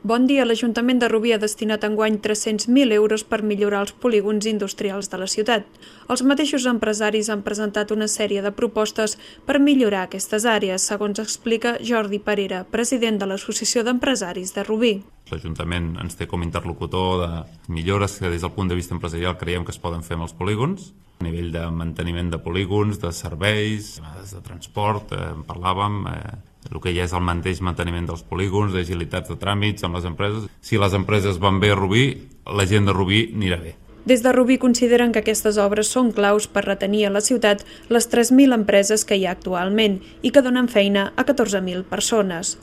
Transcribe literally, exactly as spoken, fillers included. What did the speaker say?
Bon dia, l'Ajuntament de Rubí ha destinat enguany tres-cents mil euros per millorar els polígons industrials de la ciutat. Els mateixos empresaris han presentat una sèrie de propostes per millorar aquestes àrees, segons explica Jordi Parera, president de l'Associació d'Empresaris de Rubí. L'Ajuntament ens té com a interlocutor de millores que des del punt de vista empresarial creiem que es poden fer amb els polígons, a nivell de manteniment de polígons, de serveis, de transport, eh, en parlàvem, eh, el que ja és el mateix manteniment dels polígons, d'agilitats de tràmits amb les empreses. Si les empreses van bé a Rubí, la gent de Rubí anirà bé. Des de Rubí consideren que aquestes obres són claus per retenir a la ciutat les tres mil empreses que hi ha actualment i que donen feina a catorze mil persones.